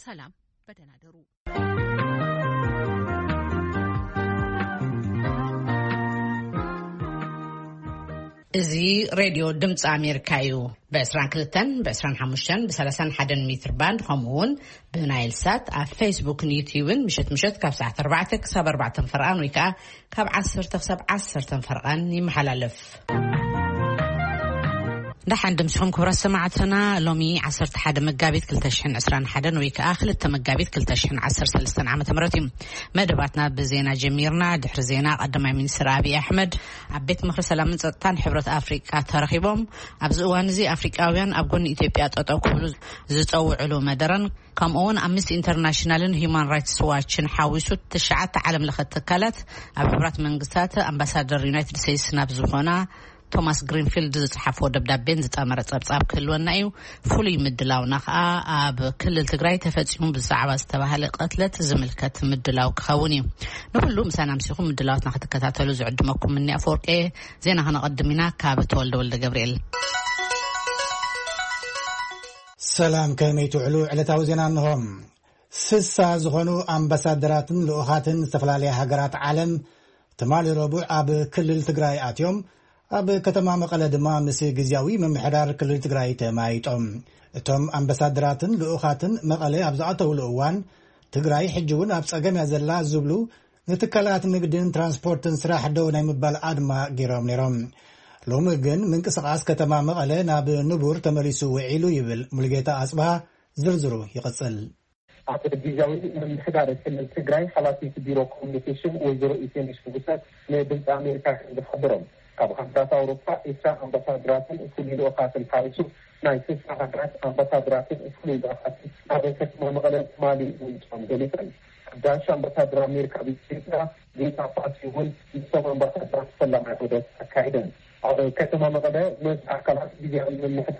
ሰላም፣ በደህና ደሩ። እዚ ሬድዮ ድምፂ ኣሜሪካ እዩ። ብ22፣ ብ25፣ ብ31 ሜትር ባንድ፣ ከምኡ እውን ብናይል ሳት ኣብ ፌስቡክን ዩትዩብን ምሸት ምሸት ካብ ሰዓት ኣርባዕተ ክሳብ ኣርባዕተ ፈርቓን ወይ ከዓ ካብ ዓሰርተ ክሳብ ዓሰርተ ፈርቓን ይመሓላለፍ። ደሓን ድምስኹም ክቡራት ሰማዕትና። ሎሚ ዓሰርተ ሓደ መጋቢት ክልተ ሽሕን ዕስራን ሓደን ወይ ከዓ ክልተ መጋቢት ክልተ ሽሕን ዓሰርተ ሰለስተን ዓመተ ምህረት እዩ። መደባትና ብዜና ጀሚርና። ድሕሪ ዜና ቀዳማይ ሚኒስትር ኣብይ ኣሕመድ ኣብ ቤት ምኽሪ ሰላምን ጸጥታን ሕብረት ኣፍሪቃ ተረኺቦም። ኣብዚ እዋን እዚ ኣፍሪቃውያን ኣብ ጎኒ ኢትዮጵያ ጠጠው ክብሉ ዝጸውዕሉ መደረን ከምኡ እውን ኣምነስቲ ኢንተርናሽናልን ሂዩማን ራይትስ ዋችን ሓዊሱ ትሽዓተ ዓለም ለኸ ትካላት ኣብ ሕቡራት መንግስታት ኣምባሳደር ዩናይትድ ስቴትስ ናብ ዝኾና ቶማስ ግሪንፊልድ ዝጸሓፍዎ ደብዳቤን ዝጠመረ ጸብጻብ ክህልወና እዩ። ፍሉይ ምድላውና ከኣ ኣብ ክልል ትግራይ ተፈጺሙ ብዛዕባ ዝተባህለ ቅትለት ዝምልከት ምድላው ክኸውን እዩ። ንኹሉ ምሳና ምሲኹም ምድላዋትና ክትከታተሉ ዝዕድመኩም እኒ ኣፈወርቂ። ዜና ከነቐድም ኢና ካብ ተወልደ ወልደ ገብርኤል። ሰላም፣ ከመይ ትውዕሉ? ዕለታዊ ዜና እንሆ። ስሳ ዝኾኑ ኣምባሳደራትን ልኡኻትን ዝተፈላለያ ሃገራት ዓለም ትማሊ ረቡዕ ኣብ ክልል ትግራይ ኣትዮም። ኣብ ከተማ መቐለ ድማ ምስ ግዝያዊ ምምሕዳር ክልል ትግራይ ተማይጦም። እቶም ኣምባሳደራትን ልኡኻትን መቐለ ኣብ ዝኣተውሉ እዋን፣ ትግራይ ሕጂ እውን ኣብ ጸገም እያ ዘላ ዝብሉ ንትካላት ንግድን ትራንስፖርትን ስራሕ ደው ናይ ምባል ኣድማ ገይሮም ነይሮም። ሎሚ ግን ምንቅስቓስ ከተማ መቐለ ናብ ንቡር ተመሊሱ ውዒሉ ይብል ሙሉጌታ ኣጽብሃ። ዝርዝሩ ይቕጽል። ኣብ ግዝያዊ ምምሕዳር ክልል ትግራይ ሓላፊት ቢሮ ኮሚኒኬሽን ወይዘሮ ኢቴነሽ ንጉሰ ንድምፂ ኣሜሪካ ከም ዝሓበሮም፣ ካብ ሃገራት ኣውሮፓ ዒስራ ኣምባሳደራትን ፍሉይ ልኡኻትን ሓዊሱ ናይ ስልሳ ሃገራት ኣምባሳደራትን ፍሉይ ልኡኻትን ኣብ ከተማ መቐለ ትማሊ ምምፅኦም ገሊፀን። ሓዳሽ ኣምባሳደር ኣሜሪካ ኣብ ኢትዮጵያ ሊንዳ ፓሲ እውን ምስቶም ኣምባሳደራት ፈላማይ ዑደት ኣካይደን። ኣብ ከተማ መቐለ ምስ ኣካላት ግዝያዊ ምምሕዳር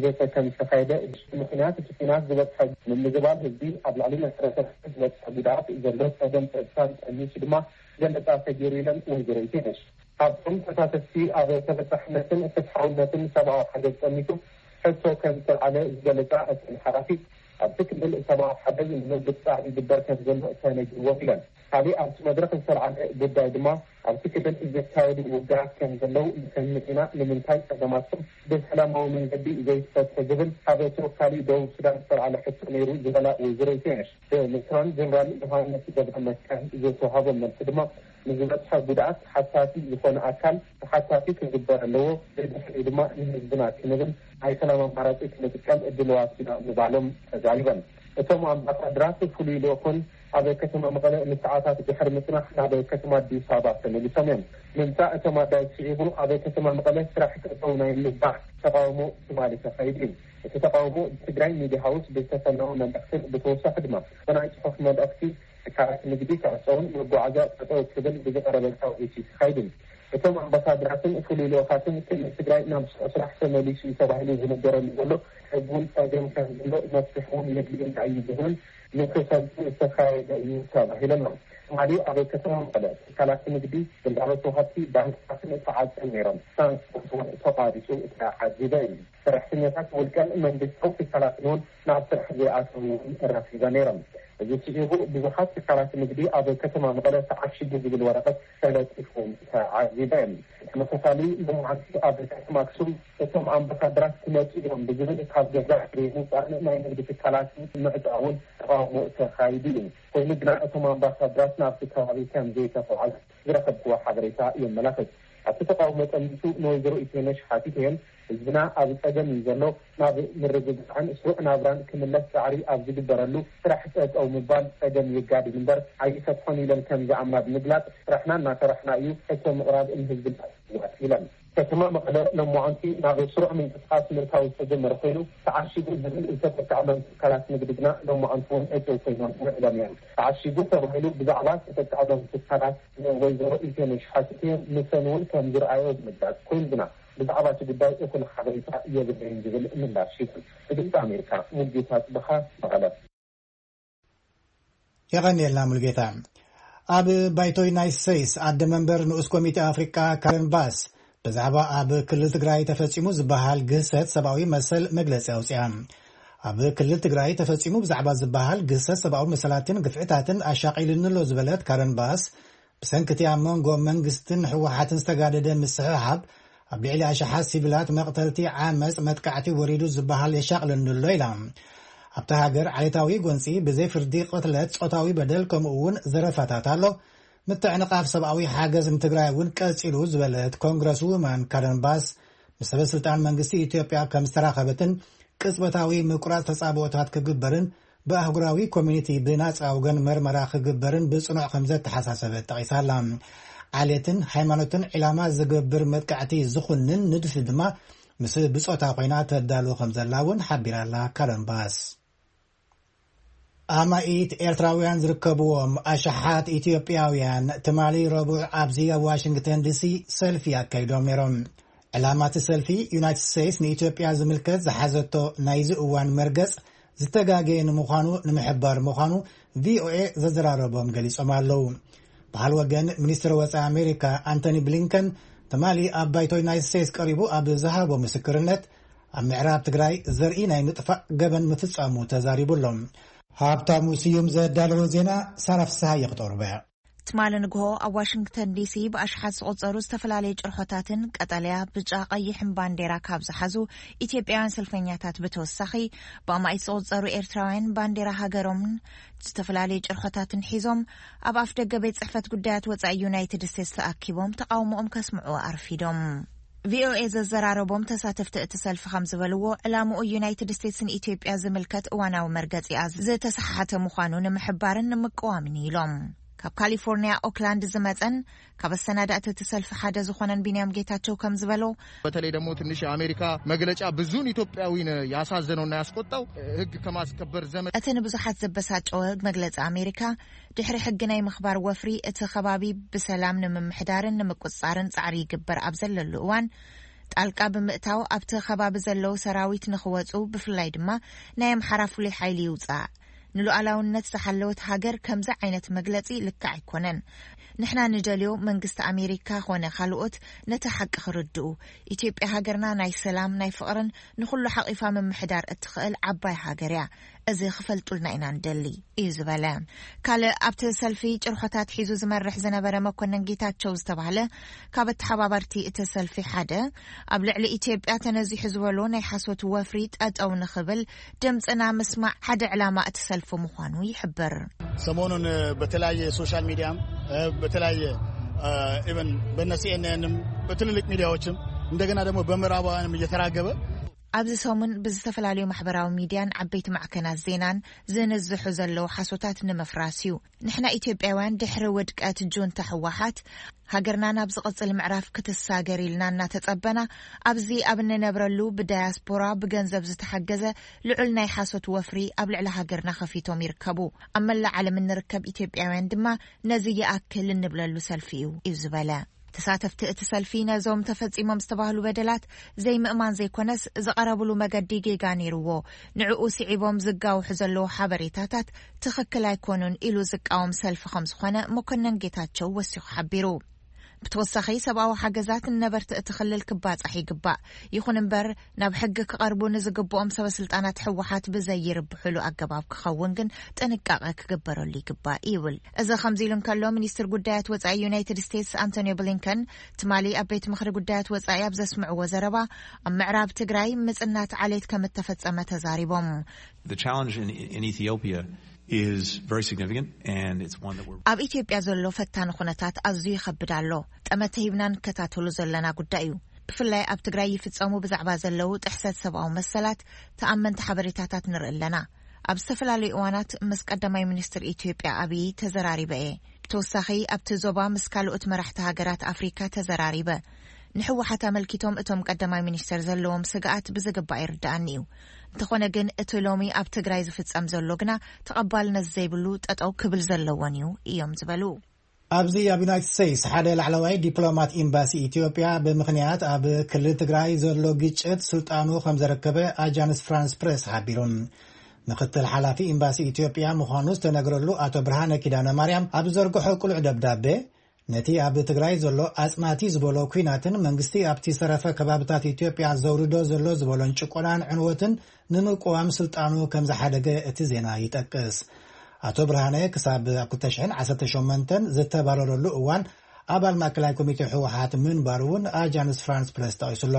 ዘተ ከም ዝተኻየደ፣ ምኽንያት እቲ ኲናት ዝበፅሐ ምምዝባል ህዝቢ ኣብ ልዕሊ መሰረተ ዝበፅሐ ጉድኣት ዘሎ ፀገም ፀጥታን ጠሚሱ ድማ ገለፃ ተገይሩ ኢለን ወይዘሮ ኢቴነሽ። ካብቶም ተሳተፍቲ ኣብ ተበፃሕነትን ፍትሓውነትን ሰብኣዊ ሓገዝ ጠሚቱ ሕቶ ከም ዝተልዓለ ዝገለፃ እተን ሓላፊ፣ ኣብቲ ክልል ሰብኣዊ ሓገዝ ንምብፃሕ ይግበር ከም ዘሎ ተነጊርዎም ኢለን። ካሊእ ኣብቲ መድረኽ ዝተልዓለ ጉዳይ ድማ ኣብቲ ክልል ዝካየዱ ውግኣት ከም ዘለዉ ንሰምዕ ኢና፣ ንምንታይ ፀገማትኩም ብሰላማዊ መንገዲ ዘይትፈትሑ ዝብል ካብ ተወካሊ ደቡብ ሱዳን ዝተልዓለ ሕቶ ነይሩ ዝበላ ወይዘሮ ኢቴነሽ፣ ብሌተናል ጀነራል ዮሃንስ ገብረ መስቀል ዝተዋሃቦም መልሲ ድማ ንዝበፅሐ ጉድኣት ሓታቲ ዝኾነ ኣካል ተሓታቲ ክግበር ኣለዎ፣ ብድሕሪኡ ድማ ንህዝብና ክንብል ናይ ሰላም ኣማራፂ ክንጥቀም ድሉዋት ኢና ምባሎም ተዛሪበን። እቶም ኣምባሳደራት ፍሉይ ልኡኽን ኣብ ከተማ መቐለ ንሰዓታት ድሕሪ ምፅናሕ ናብ ከተማ ኣዲስ ኣበባ ተመሊሶም እዮም። ምምፃእ እቶም ኣጋይሽ ስዒቡ ኣብ ከተማ መቐለ ስራሕ ጠጠው ናይ ምባል ተቃውሞ ትማሊ ተኻይዱ እዩ። እቲ ተቃውሞ ብትግራይ ሚድያ ሃውስ ብዝተፈነወ መልእኽትን ብተወሳኺ ድማ ብናይ ፅሑፍ መልእኽቲ ትካላት ንግዲ ክዕፀውን መጓዓዝያ ጠጠው ክብል ብዝቐረበ ፃውዒት እዩ ተኻይዱ። እቶም ኣምባሳደራትን ፍሉይ ልኡኻትን ክልል ትግራይ ናብ ስሩዕ ስራሕ ተመሊሱ እዩ ተባሂሉ ዝንገረሉ ዘሎ ሕዚ እውን ፀገም ከም ዘሎ መፍትሒ እውን የድልየና እዩ ዝብል ንክፈልጡ ዝተኻየደ እዩ ተባሂሉ ኣሎ። ትማሊ ኣብ ከተማ መቐለ ትካላት ንግዲ፣ ግልጋሎት ወሃብቲ ባንክታትን ተዓፅዮም ነይሮም። ትራንስፖርት እውን ተቋሪፁ ተዓዚበ እዩ። ሰራሕተኛታት ውልቀን መንግስታዊ ትካላትን እውን ናብ ስራሕ ዘይኣተዉ እውን ረኺበ ነይሮም። እዚ ስዒቡ ብዙሓት ትካላት ንግዲ ኣብ ከተማ መቐለ ተዓሺጉ ዝብል ወረቐት ተለጢፉ ተዓዚበ። ተመሳሳሊ ሎማዓንቲ ኣብ ከተማ ኣክሱም እቶም ኣምባሳደራት ክመፁ እዮም ብዝብል ካብ ገዛ ዘይምውፃእን ናይ ንግዲ ትካላት ምዕፃውን ተቃውሞ ተኻይዱ እዩ። ኮይኑ ግና እቶም ኣምባሳደራት ናብቲ ከባቢ ከም ዘይተጓዓዙ ዝረኸብክዎ ሓበሬታ የመላኽት። ኣብቲ ተቃውሞ ጠሚቱ ንወይዘሮ ኢቴነሽ ሓቲተየን፣ ህዝብና ኣብ ጸገም እዩ ዘሎ፣ ናብ ምርግጋዕን ስሩዕ ናብራን ክምለስ ጻዕሪ ኣብ ዝግበረሉ ስራሕ ጠጠው ምባል ጸገም የጋድድ እምበር ኣይፈትሖን ኢለን ከም ዝኣምና ብምግላጽ፣ ስራሕና እናሰራሕና እዩ፣ ሕቶ ምቕራብ ንህዝብና ይዋት ኢለን። ከተማ መቐለ ሎማዓንቲ ናብ ስሩዕ ምንቅስቃስ ምእታው ዝተጀመረ ኮይኑ፣ ተዓሺጉ ዝብል ዝተጠቅዐሎም ትካላት ንግዲ ግና ሎማዓንቲ እውን እጥው ኮይኖም ውዕሎም እዮም። ተዓሺጉ ተባሂሉ ብዛዕባ ዝተጠቅዐሎም ትካላት ንወይዘሮ ኢቴነሽ ሓቲተ፣ ንሰን እውን ከም ዝረኣዮ ብምግላጽ፣ ኮይኑ ግና ብዛዕባ እቲ ጉዳይ እኹል ሓበሬታ የብለይን ዝብል ምላሽ ሂቡ። ንድምፂ ኣሜሪካ ሙልጌታ ጽበኻ፣ መቐለ። የቐንየልና ሙልጌታ። ኣብ ባይቶ ዩናይትድ ስቴትስ ኣደ መንበር ንኡስ ኮሚቴ ኣፍሪቃ ካረን ባስ ብዛዕባ ኣብ ክልል ትግራይ ተፈጺሙ ዝበሃል ግህሰት ሰብኣዊ መሰል መግለጺ ኣውጺኣ። ኣብ ክልል ትግራይ ተፈጺሙ ብዛዕባ ዝበሃል ግሰት ሰብኣዊ መሰላትን ግፍዕታትን ኣሻቒልኒ ኣሎ ዝበለት ካረን ባስ፣ ብሰንክቲ ኣብ መንጎ መንግስትን ህወሓትን ዝተጋደደ ምስሕሓብ ኣብ ልዕሊ ኣሽሓት ሲቪላት መቕተልቲ፣ ዓመፅ፣ መጥቃዕቲ ወሪዱ ዝበሃል የሻቕለኒ ኣሎ ኢላ። ኣብታ ሃገር ዓሌታዊ ጎንፂ፣ ብዘይ ፍርዲ ቅትለት፣ ጾታዊ በደል፣ ከምኡ እውን ዘረፋታት ኣሎ። ምትዕንቓፍ ሰብኣዊ ሓገዝ ንትግራይ እውን ቀፂሉ ዝበለት ኮንግረስ ውመን ካረን ባስ፣ ምስ ሰበ ስልጣን መንግስቲ ኢትዮጵያ ከም ዝተራኸበትን ቅጽበታዊ ምቁራጽ ተጻብኦታት ክግበርን ብኣህጉራዊ ኮሚኒቲ ብናጻ ወገን መርመራ ክግበርን ብጽኑዕ ከም ዘተሓሳሰበት ጠቒሳላ። ዓሌትን ሃይማኖትን ዒላማ ዝገብር መጥቃዕቲ ዝኹንን ንድፊ ድማ ምስ ብጾታ ኮይና ተዳሉ ከም ዘላ እውን ሓቢራላ። ካረን ባስ። ኣማኢት ኤርትራውያን ዝርከብዎም ኣሽሓት ኢትዮጵያውያን ትማሊ ረቡዕ ኣብዚ ኣብ ዋሽንግተን ዲሲ ሰልፊ ኣካይዶም ነይሮም። ዕላማ እቲ ሰልፊ፣ ዩናይትድ ስቴትስ ንኢትዮጵያ ዝምልከት ዝሓዘቶ ናይዚ እዋን መርገጽ ዝተጋገየ ንምዃኑ ንምሕባር ምዃኑ ቪኦኤ ዘዘራረቦም ገሊጾም ኣለዉ። በሃል ወገን፣ ሚኒስትር ወጻኢ ኣሜሪካ ኣንቶኒ ብሊንከን ትማሊ ኣብ ባይቶ ዩናይትድ ስቴትስ ቀሪቡ ኣብ ዝሃቦ ምስክርነት፣ ኣብ ምዕራብ ትግራይ ዘርኢ ናይ ምጥፋእ ገበን ምፍጻሙ ተዛሪቡ ኣሎ። ሃብታሙ ስዩም ዘዳለዎ ዜና ሳራ ፍስሃ የቕጠሩበያ። ትማሊ ንግሆ ኣብ ዋሽንግተን ዲሲ ብኣሽሓት ዝቑጸሩ ዝተፈላለዩ ጭርሖታትን ቀጠልያ፣ ብጫ፣ ቀይሕን ባንዴራ ካብ ዝሓዙ ኢትዮጵያውያን ሰልፈኛታት ብተወሳኺ፣ ብኣማኢት ዝቑጸሩ ኤርትራውያን ባንዴራ ሃገሮምን ዝተፈላለዩ ጭርሖታትን ሒዞም ኣብ ኣፍ ደገ ቤት ጽሕፈት ጉዳያት ወጻኢ ዩናይትድ ስቴትስ ተኣኪቦም ተቓውሞኦም ከስምዑ ኣርፊዶም። ቪኦኤ ዘዘራረቦም ተሳተፍቲ እቲ ሰልፊ ከም ዝበልዎ፣ ዕላምኡ ዩናይትድ ስቴትስ ንኢትዮጵያ ዝምልከት እዋናዊ መርገጺኣ ዝተሰሓሓተ ምዃኑ ንምሕባርን ንምቅዋምን ኢሎም። ካብ ካሊፎርኒያ ኦክላንድ ዝመጸን ካብ ኣሰናዳእቲ እቲ ሰልፊ ሓደ ዝኾነን ቢንያም ጌታቸው ከም ዝበሎ፣ በተለይ ደግሞ ትንሽ የአሜሪካ መግለጫ ብዙን ኢትዮጵያዊን ያሳዘነውና ያስቆጣው ሕግ ከማስከበር ዘመ እቲ ንብዙሓት ዘበሳጨወ መግለጺ ኣሜሪካ፣ ድሕሪ ሕጊ ናይ ምኽባር ወፍሪ እቲ ከባቢ ብሰላም ንምምሕዳርን ንምቁጽጻርን ጻዕሪ ይግበር ኣብ ዘለሉ እዋን፣ ጣልቃ ብምእታው ኣብቲ ከባቢ ዘለዉ ሰራዊት ንኽወጹ፣ ብፍላይ ድማ ናይ ኣምሓራ ፍሉይ ሓይሊ ይውጻእ። ንሉዓላውነት ዝሓለወት ሃገር ከምዚ ዓይነት መግለጺ ልክዕ ኣይኮነን። ንሕና ንደልዮ መንግስቲ ኣሜሪካ ኾነ ካልኦት ነቲ ሓቂ ክርድኡ። ኢትዮጵያ ሃገርና ናይ ሰላም፣ ናይ ፍቕርን ንኹሉ ሓቒፋ ምምሕዳር እትኽእል ዓባይ ሃገር እያ። እዚ ክፈልጡልና ኢና ንደሊ፣ እዩ ዝበለ። ካልእ ኣብቲ ሰልፊ ጭርሖታት ሒዙ ዝመርሕ ዝነበረ መኮነን ጌታቸው ዝተባህለ ካብ ኣተሓባበርቲ እቲ ሰልፊ ሓደ፣ ኣብ ልዕሊ ኢትዮጵያ ተነዚሑ ዝበሎ ናይ ሓሶት ወፍሪ ጠጠው ንኽብል ድምፅና ምስማዕ ሓደ ዕላማ እቲ ሰልፊ ምዃኑ ይሕብር። ሰሞኑን በተለያየ ሶሻል ሚዲያም፣ በተለያየ ኢቨን በነ ሲኤንኤንም በትልልቅ ሚዲያዎችም እንደገና ደግሞ በምዕራባውያንም እየተራገበ ኣብዚ ሰሙን ብዝተፈላለዩ ማሕበራዊ ሚድያን ዓበይቲ ማዕከናት ዜናን ዝንዝሑ ዘለዉ ሓሶታት ንምፍራስ እዩ። ንሕና ኢትዮጵያውያን ድሕሪ ውድቀት ጁንታ ህወሓት፣ ሃገርና ናብ ዝቕጽል ምዕራፍ ክትሳገር ኢልና እናተጸበና፣ ኣብዚ ኣብ እንነብረሉ ብዳያስፖራ ብገንዘብ ዝተሓገዘ ልዑል ናይ ሓሶት ወፍሪ ኣብ ልዕሊ ሃገርና ከፊቶም ይርከቡ። ኣብ መላእ ዓለም እንርከብ ኢትዮጵያውያን ድማ ነዚ ይኣክል እንብለሉ ሰልፊ እዩ፣ እዩ ዝበለ። ተሳተፍቲ እቲ ሰልፊ ነዞም ተፈጺሞም ዝተባህሉ በደላት ዘይምእማን ዘይኮነስ፣ ዝቐረብሉ መገዲ ጌጋ ነይርዎ፣ ንዕኡ ስዒቦም ዝጋውሑ ዘለዉ ሓበሬታታት ትኽክል ኣይኮኑን ኢሉ ዝቃወም ሰልፊ ከም ዝኾነ መኮነን ጌታቸው ወሲኹ ሓቢሩ። ብተወሳኺ፣ ሰብኣዊ ሓገዛት ንነበርቲ እቲ ክልል ክባጻሕ ይግባእ። ይኹን እምበር፣ ናብ ሕጊ ክቐርቡ ንዝግብኦም ሰበ ስልጣናት ህወሓት ብዘይርብሕሉ ኣገባብ ክኸውን ግን ጥንቃቐ ክግበረሉ ይግባእ ይብል። እዚ ከምዚ ኢሉ እንከሎ፣ ሚኒስትር ጉዳያት ወጻኢ ዩናይትድ ስቴትስ ኣንቶኒዮ ብሊንከን ትማሊ ኣብ ቤት ምኽሪ ጉዳያት ወጻኢ ኣብ ዘስምዕዎ ዘረባ፣ ኣብ ምዕራብ ትግራይ ምጽናት ዓሌት ከም እተፈጸመ ተዛሪቦም። The challenge in, in Ethiopia is very significant, and it's one that we're ኣብ ኢትዮጵያ ዘሎ ፈታኒ ኩነታት ኣዝዩ ይኸብድ ኣሎ። ጠመተ ሂብና ንከታተሉ ዘለና ጉዳይ እዩ። ብፍላይ ኣብ ትግራይ ይፍጸሙ ብዛዕባ ዘለዉ ጥሕሰት ሰብኣዊ መሰላት ተኣመንቲ ሓበሬታታት ንርኢ ኣለና። ኣብ ዝተፈላለዩ እዋናት ምስ ቀዳማይ ሚኒስትር ኢትዮጵያ ኣብይ ተዘራሪበ እየ። ብተወሳኺ፣ ኣብቲ ዞባ ምስ ካልኦት መራሕቲ ሃገራት ኣፍሪካ ተዘራሪበ። ንህወሓት ኣመልኪቶም እቶም ቀዳማይ ሚኒስትር ዘለዎም ስግኣት ብዝግባእ ይርድኣኒ እዩ። እንተኾነ ግን፣ እቲ ሎሚ ኣብ ትግራይ ዝፍጸም ዘሎ ግና ተቐባልነት ዘይብሉ፣ ጠጠው ክብል ዘለዎን እዩ፣ እዮም ዝበሉ። ኣብዚ ኣብ ዩናይትድ ስቴትስ ሓደ ላዕለዋይ ዲፕሎማት ኤምባሲ ኢትዮጵያ ብምኽንያት ኣብ ክልል ትግራይ ዘሎ ግጭት ስልጣኑ ከም ዘረከበ ኣጃንስ ፍራንስ ፕሬስ ሓቢሩ። ምክትል ሓላፊ ኤምባሲ ኢትዮጵያ ምዃኑ ዝተነግረሉ ኣቶ ብርሃነ ኪዳነ ማርያም ኣብ ዘርግሖ ቅሉዕ ደብዳቤ፣ ነቲ ኣብ ትግራይ ዘሎ ኣጽናቲ ዝበሎ ኲናትን መንግስቲ ኣብቲ ሰረፈ ከባብታት ኢትዮጵያ ዘውርዶ ዘሎ ዝበሎን ጭቆናን ዕንወትን ንምቅዋም ስልጣኑ ከም ዝሓደገ እቲ ዜና ይጠቅስ። ኣቶ ብርሃነ ክሳብ ኣብ ክልተ ሽሕን ዓሰርተ ሸሞንተን ዝተባረረሉ እዋን ኣባል ማእከላይ ኮሚቴ ህወሓት ምንባሩ እውን ኣጃንስ ፍራንስ ፕረስ ጠቒሱሎ።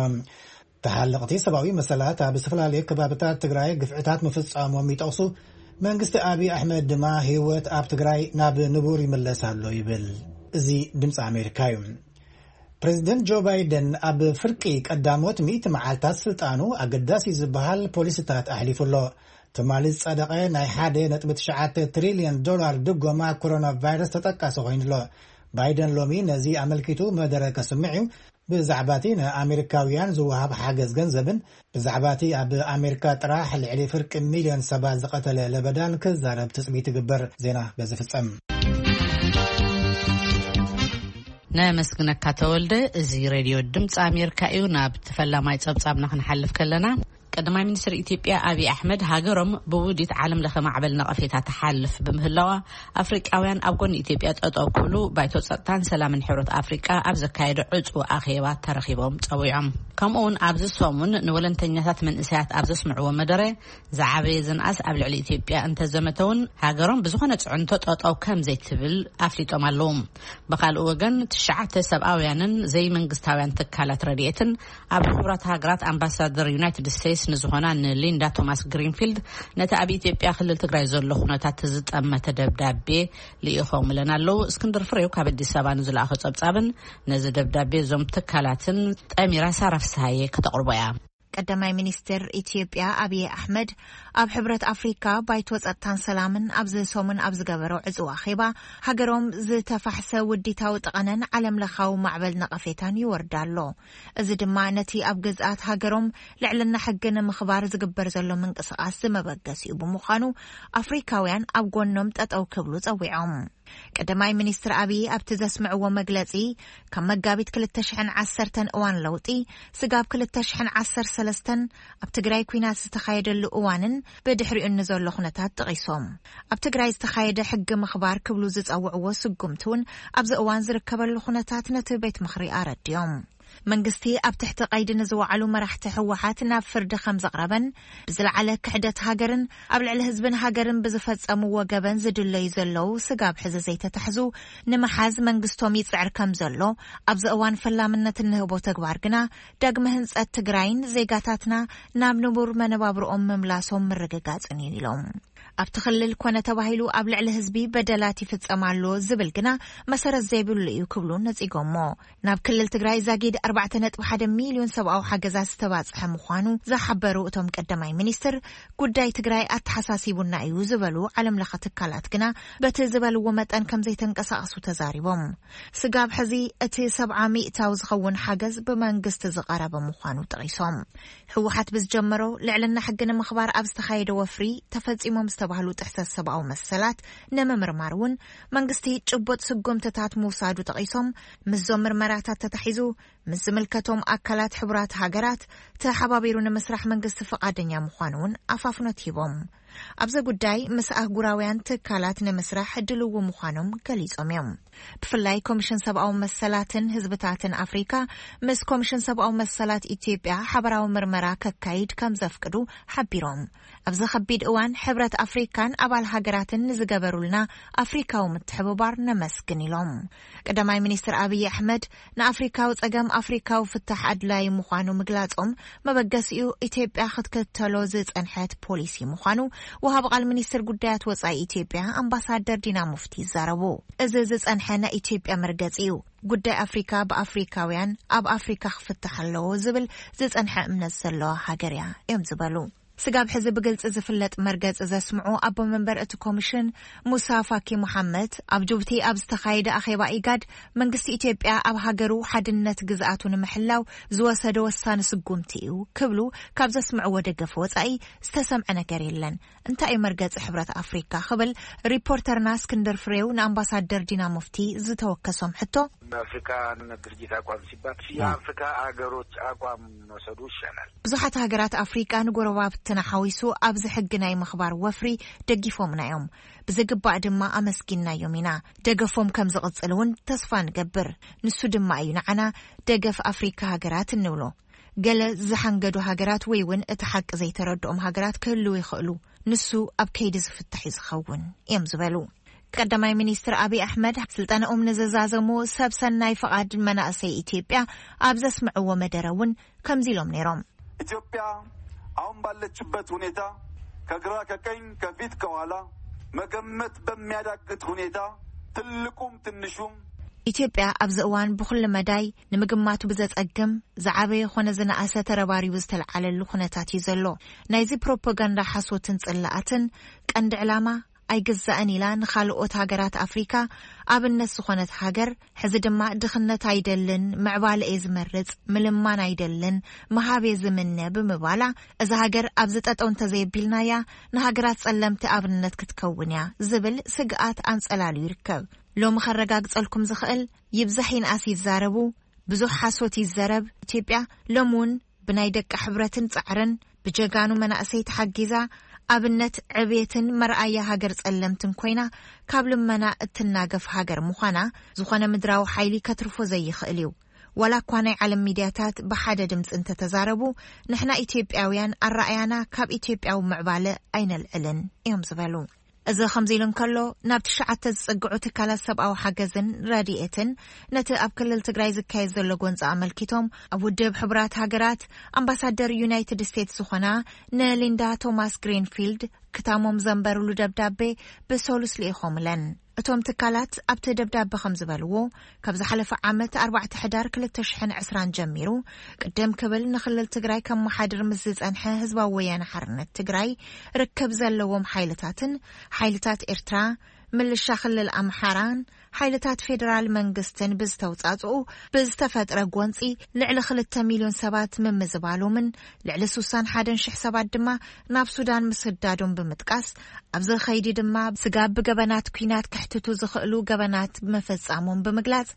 ተሓለቕቲ ሰብኣዊ መሰላት ኣብ ዝተፈላለዩ ከባብታት ትግራይ ግፍዕታት ምፍጻሞም ይጠቕሱ። መንግስቲ ኣብይ ኣሕመድ ድማ ህይወት ኣብ ትግራይ ናብ ንቡር ይምለስ ኣሎ ይብል። እዚ ድምፂ ኣሜሪካ እዩ። ፕሬዚደንት ጆ ባይደን ኣብ ፍርቂ ቀዳሞት ሚእቲ መዓልታት ስልጣኑ ኣገዳሲ ዝበሃል ፖሊሲታት ኣሕሊፉ ኣሎ። ትማሊ ዝጸደቐ ናይ ሓደ ነጥቢ ትሽዓተ ትሪልዮን ዶላር ድጎማ ኮሮና ቫይረስ ተጠቃሲ ኮይኑ ኣሎ። ባይደን ሎሚ ነዚ ኣመልኪቱ መደረ ከስምዕ እዩ። ብዛዕባ እቲ ንኣሜሪካውያን ዝወሃብ ሓገዝ ገንዘብን ብዛዕባ እቲ ኣብ ኣሜሪካ ጥራሕ ልዕሊ ፍርቂ ሚልዮን ሰባት ዝቐተለ ለበዳን ክዛረብ ትጽቢት ይግበር። ዜና በዚ ፍጸም። ነመስግነካ ተወልደ። እዚ ሬድዮ ድምፂ ኣሜሪካ እዩ። ናብ ተፈላማይ ጸብጻብና ክንሓልፍ ከለና፣ ቀዳማይ ሚኒስትር ኢትዮጵያ ኣብይ ኣሕመድ ሃገሮም ብውዲት ዓለም ለኸ ማዕበል ነቐፌታ ትሓልፍ ብምህላዋ፣ ኣፍሪቃውያን ኣብ ጎኒ ኢትዮጵያ ጠጠው ክብሉ ባይቶ ጸጥታን ሰላምን ሕብረት ኣፍሪቃ ኣብ ዘካየደ ዕጹ ኣኼባ ተረኺቦም ጸዊዖም። ከምኡ እውን ኣብዚ ሰሙን ንወለንተኛታት መንእሰያት ኣብ ዘስምዕዎ መደረ፣ ዝዓበየ ዝንኣስ ኣብ ልዕሊ ኢትዮጵያ እንተዘመተ እውን ሃገሮም ብዝኾነ ጽዕንቶ ጠጠው ከም ዘይትብል ኣፍሊጦም ኣለዉ። ብኻልእ ወገን፣ ትሽዓተ ሰብኣውያንን ዘይመንግስታውያን ትካላት ረድኤትን ኣብ ሕቡራት ሃገራት ኣምባሳደር ዩናይትድ ስቴትስ ንዝኾና ንሊንዳ ቶማስ ግሪንፊልድ፣ ነቲ ኣብ ኢትዮጵያ ክልል ትግራይ ዘሎ ኩነታት ዝጠመተ ደብዳቤ ልኢኾምለን ኣለዉ። እስክንድር ፍሬው ካብ ኣዲስ ኣበባ ንዝለኣኾ ጸብጻብን ነዚ ደብዳቤ እዞም ትካላትን ጠሚራ ሳራ ፍስሃየ ከተቕርቦ እያ። ቀዳማይ ሚኒስትር ኢትዮጵያ ኣብይ ኣሕመድ ኣብ ሕብረት ኣፍሪካ ባይቶ ጸጥታን ሰላምን ኣብዚ ሰሙን ኣብ ዝገበሮ ዕጽዋ ኣኼባ፣ ሃገሮም ዝተፋሕሰ ውዲታዊ ጠቐነን ዓለም ለኻዊ ማዕበል ነቐፌታን ይወርዳ ኣሎ። እዚ ድማ ነቲ ኣብ ግዝኣት ሃገሮም ልዕልና ሕጊ ንምኽባር ዝግበር ዘሎ ምንቅስቓስ ዝመበገሲኡ ብምዃኑ፣ ኣፍሪካውያን ኣብ ጎኖም ጠጠው ክብሉ ጸዊዖም። ቀዳማይ ሚኒስትር ኣብይ ኣብቲ ዘስምዕዎ መግለጺ፣ ካብ መጋቢት ክልተ ሽሕን ዓሰርተን እዋን ለውጢ ስጋብ ክልተ ሽሕን ዓሰርተ ሰለስተን ኣብ ትግራይ ኲናት ዝተኻየደሉ እዋንን ብድሕሪኡ ንዘሎ ኩነታት ጠቒሶም፣ ኣብ ትግራይ ዝተኻየደ ሕጊ ምኽባር ክብሉ ዝጸውዕዎ ስጉምቲ እውን ኣብዚ እዋን ዝርከበሉ ኩነታት ነቲ ቤት ምኽሪ ኣረድዮም። መንግስቲ ኣብ ትሕቲ ቀይዲ ንዝወዓሉ መራሕቲ ህወሓት ናብ ፍርዲ ከም ዘቕረበን፣ ብዝለዓለ ክሕደት ሃገርን ኣብ ልዕሊ ህዝብን ሃገርን ብዝፈጸምዎ ገበን ዝድለዩ ዘለዉ ስጋብ ሕዚ ዘይተታሕዙ ንምሓዝ መንግስቶም ይጽዕር ከም ዘሎ፣ ኣብዚ እዋን ፈላምነት እንህቦ ተግባር ግና ዳግመ ህንጸት ትግራይን ዜጋታትና ናብ ንቡር መነባብርኦም ምምላሶም ምርግጋጽን እዩ ኢሎም። ኣብቲ ክልል ኮነ ተባሂሉ ኣብ ልዕሊ ህዝቢ በደላት ይፍጸም ኣሎ ዝብል ግና መሰረት ዘይብሉ እዩ ክብሉ ነጺጎሞ። ናብ ክልል ትግራይ ዛጊድ ኣርባዕተ ነጥቢ ሓደ ሚልዮን ሰብኣዊ ሓገዛት ዝተባጽሐ ምዃኑ ዝሓበሩ እቶም ቀዳማይ ሚኒስትር፣ ጉዳይ ትግራይ ኣተሓሳሲቡና እዩ ዝበሉ ዓለም ለኸ ትካላት ግና በቲ ዝበልዎ መጠን ከም ዘይተንቀሳቐሱ ተዛሪቦም። ስጋብ ሕዚ እቲ ሰብዓ ሚእታዊ ዝኸውን ሓገዝ ብመንግስቲ ዝቐረበ ምዃኑ ጠቒሶም። ህወሓት ብዝጀመሮ ልዕልና ሕጊ ንምኽባር ኣብ ዝተኻየደ ወፍሪ ተፈጺሞም ዝተባህሉ ጥሕሰት ሰብኣዊ መሰላት ንምምርማር እውን መንግስቲ ጭቡጥ ስጉምትታት ምውሳዱ ጠቒሶም፣ ምስዞም ምርመራታት ተታሒዙ ምስ ዝምልከቶም ኣካላት ሕቡራት ሃገራት ተሓባቢሩ ንምስራሕ መንግስቲ ፍቓደኛ ምዃኑ እውን ኣፋፍኖት ሂቦም። ኣብዚ ጉዳይ ምስ ኣህጉራውያን ትካላት ንምስራሕ ድልው ምዃኖም ገሊጾም እዮም። ብፍላይ ኮሚሽን ሰብኣዊ መሰላትን ህዝብታትን ኣፍሪካ ምስ ኮሚሽን ሰብኣዊ መሰላት ኢትዮጵያ ሓበራዊ ምርመራ ከካይድ ከም ዘፍቅዱ ሓቢሮም። ኣብዚ ከቢድ እዋን ሕብረት ኣፍሪካን ኣባል ሃገራትን ንዝገበሩልና ኣፍሪካዊ ምትሕብባር ነመስግን ኢሎም። ቀዳማይ ሚኒስትር ኣብይ ኣሕመድ ንኣፍሪካዊ ጸገም ኣፍሪካዊ ፍታሕ ኣድላዪ ምዃኑ ምግላጾም መበገሲኡ ኢትዮጵያ ክትከተሎ ዝጸንሐት ፖሊሲ ምዃኑ ወሃቢ ቃል ሚኒስትር ጉዳያት ወጻኢ ኢትዮጵያ ኣምባሳደር ዲና ሙፍቲ ይዛረቡ። እዚ ዝጸንሐ ናይ ኢትዮጵያ መርገጺ እዩ። ጉዳይ ኣፍሪካ ብኣፍሪካውያን ኣብ ኣፍሪካ ክፍታሕ ኣለዎ ዝብል ዝጸንሐ እምነት ዘለዋ ሃገር እያ እዮም ዝበሉ። ስጋብ ሕዚ ብግልጺ ዝፍለጥ መርገጺ ዘስምዑ ኣቦ መንበር እቲ ኮሚሽን ሙሳ ፋኪ መሓመድ፣ ኣብ ጅቡቲ ኣብ ዝተኻየደ ኣኼባ ኢጋድ መንግስቲ ኢትዮጵያ ኣብ ሃገሩ ሓድነት ግዝኣቱ ንምሕላው ዝወሰደ ወሳኒ ስጉምቲ እዩ ክብሉ ካብ ዘስምዕዎ ደገፍ ወጻኢ ዝተሰምዐ ነገር የለን። እንታይ እዩ መርገጺ ሕብረት ኣፍሪካ ክብል ሪፖርተርና እስክንድር ፍሬው ንኣምባሳደር ዲና ሙፍቲ ዝተወከሶም ሕቶ፣ የአፍሪካ ድርጅት አቋም ሲባል የአፍሪካ ሀገሮች አቋም መውሰዱ ይሻላል። ብዙሓት ሃገራት ኣፍሪቃ ንጎረባብትና ሓዊሱ ኣብዚ ሕጊ ናይ ምኽባር ወፍሪ ደጊፎምና እዮም። ብዝግባእ ድማ ኣመስጊንናዮም ኢና። ደገፎም ከም ዝቕጽል እውን ተስፋ ንገብር። ንሱ ድማ እዩ ንዓና ደገፍ ኣፍሪካ ሃገራት እንብሎ። ገለ ዝሓንገዱ ሃገራት ወይ እውን እቲ ሓቂ ዘይተረድኦም ሃገራት ክህልው ይኽእሉ። ንሱ ኣብ ከይዲ ዝፍታሕ እዩ ዝኸውን እዮም ዝበሉ። ቀዳማይ ሚኒስትር ኣብይ ኣሕመድ ስልጠነኦም ንዝዛዘሙ ሰብ ሰናይ ፍቓድ መናእሰይ ኢትዮጵያ ኣብ ዘስምዕዎ መደረ እውን ከምዚ ኢሎም ነይሮም። ኢትዮጵያ አሁን ባለችበት ሁኔታ ከግራ ከቀኝ ከፊት ከኋላ መገመት በሚያዳግት ሁኔታ ትልቁም ትንሹም ኢትዮጵያ ኣብዚ እዋን ብኹሉ መዳይ ንምግማቱ ብዘጸግም ዝዓበየ ኾነ ዝነኣሰ ተረባሪቡ ዝተለዓለሉ ኩነታት እዩ ዘሎ። ናይዚ ፕሮፓጋንዳ ሓሶትን ጽላኣትን ቀንዲ ዕላማ ኣይግዛእን ኢላ ንኻልኦት ሃገራት ኣፍሪካ ኣብነት ዝኾነት ሃገር፣ ሕዚ ድማ ድኽነት ኣይደልን፣ ምዕባለ እየ ዝመርጽ፣ ምልማን ኣይደልን፣ ምሃብ እየ ዝምነ ብምባላ፣ እዛ ሃገር ኣብዚ ጠጠው እንተዘየቢልናያ ንሃገራት ጸለምቲ ኣብነት ክትከውን እያ ዝብል ስግኣት ኣንጸላልዩ ይርከብ። ሎሚ ከረጋግጸልኩም ዝኽእል፣ ይብዛሕ ይንኣስ ይዛረቡ፣ ብዙሕ ሓሶት ይዘረብ። ኢትዮጵያ ሎሚ እውን ብናይ ደቂ ሕብረትን ጻዕርን ብጀጋኑ መናእሰይ ተሓጊዛ ኣብነት ዕብየትን መርኣያ ሃገር ጸለምትን ኮይና ካብ ልመና እትናገፍ ሃገር ምዃና ዝኾነ ምድራዊ ሓይሊ ከትርፎ ዘይኽእል እዩ። ዋላ እኳ ናይ ዓለም ሚድያታት ብሓደ ድምፂ እንተተዛረቡ፣ ንሕና ኢትዮጵያውያን ኣረኣያና ካብ ኢትዮጵያዊ ምዕባለ ኣይነልዕልን እዮም ዝበሉ። እዚ ከምዚ ኢሉ እንከሎ፣ ናብ ትሽዓተ ዝጽግዑ ትካላት ሰብኣዊ ሓገዝን ረድኤትን ነቲ ኣብ ክልል ትግራይ ዝካየድ ዘሎ ጎንፂ ኣመልኪቶም ኣብ ውድብ ሕቡራት ሃገራት ኣምባሳደር ዩናይትድ ስቴትስ ዝኾና ንሊንዳ ቶማስ ግሪንፊልድ ክታሞም ዘንበሩሉ ደብዳቤ ብሰሉስ ልኢኾምለን። እቶም ትካላት ኣብቲ ደብዳቤ ከም ዝበልዎ፣ ካብ ዝሓለፈ ዓመት ኣርባዕተ ሕዳር ክልተ ሽሕን ዕስራን ጀሚሩ ቅድም ክብል ንክልል ትግራይ ከመሓድር ምስ ዝጸንሐ ህዝባዊ ወያነ ሓርነት ትግራይ ርክብ ዘለዎም ሓይልታትን ሓይልታት ኤርትራ፣ ምልሻ ክልል ኣምሓራን ሓይልታት ፌደራል መንግስትን ብዝተውጻጽኡ ብዝተፈጥረ ጎንጺ ልዕሊ ክልተ ሚልዮን ሰባት ምምዝባሎምን ልዕሊ ስሳን ሓደን ሽሕ ሰባት ድማ ናብ ሱዳን ምስዳዶም ብምጥቃስ፣ ኣብዚ ኸይዲ ድማ ስጋብ ብገበናት ኲናት ከሕትቱ ዝኽእሉ ገበናት መፈጻሞም ብምግላጽ፣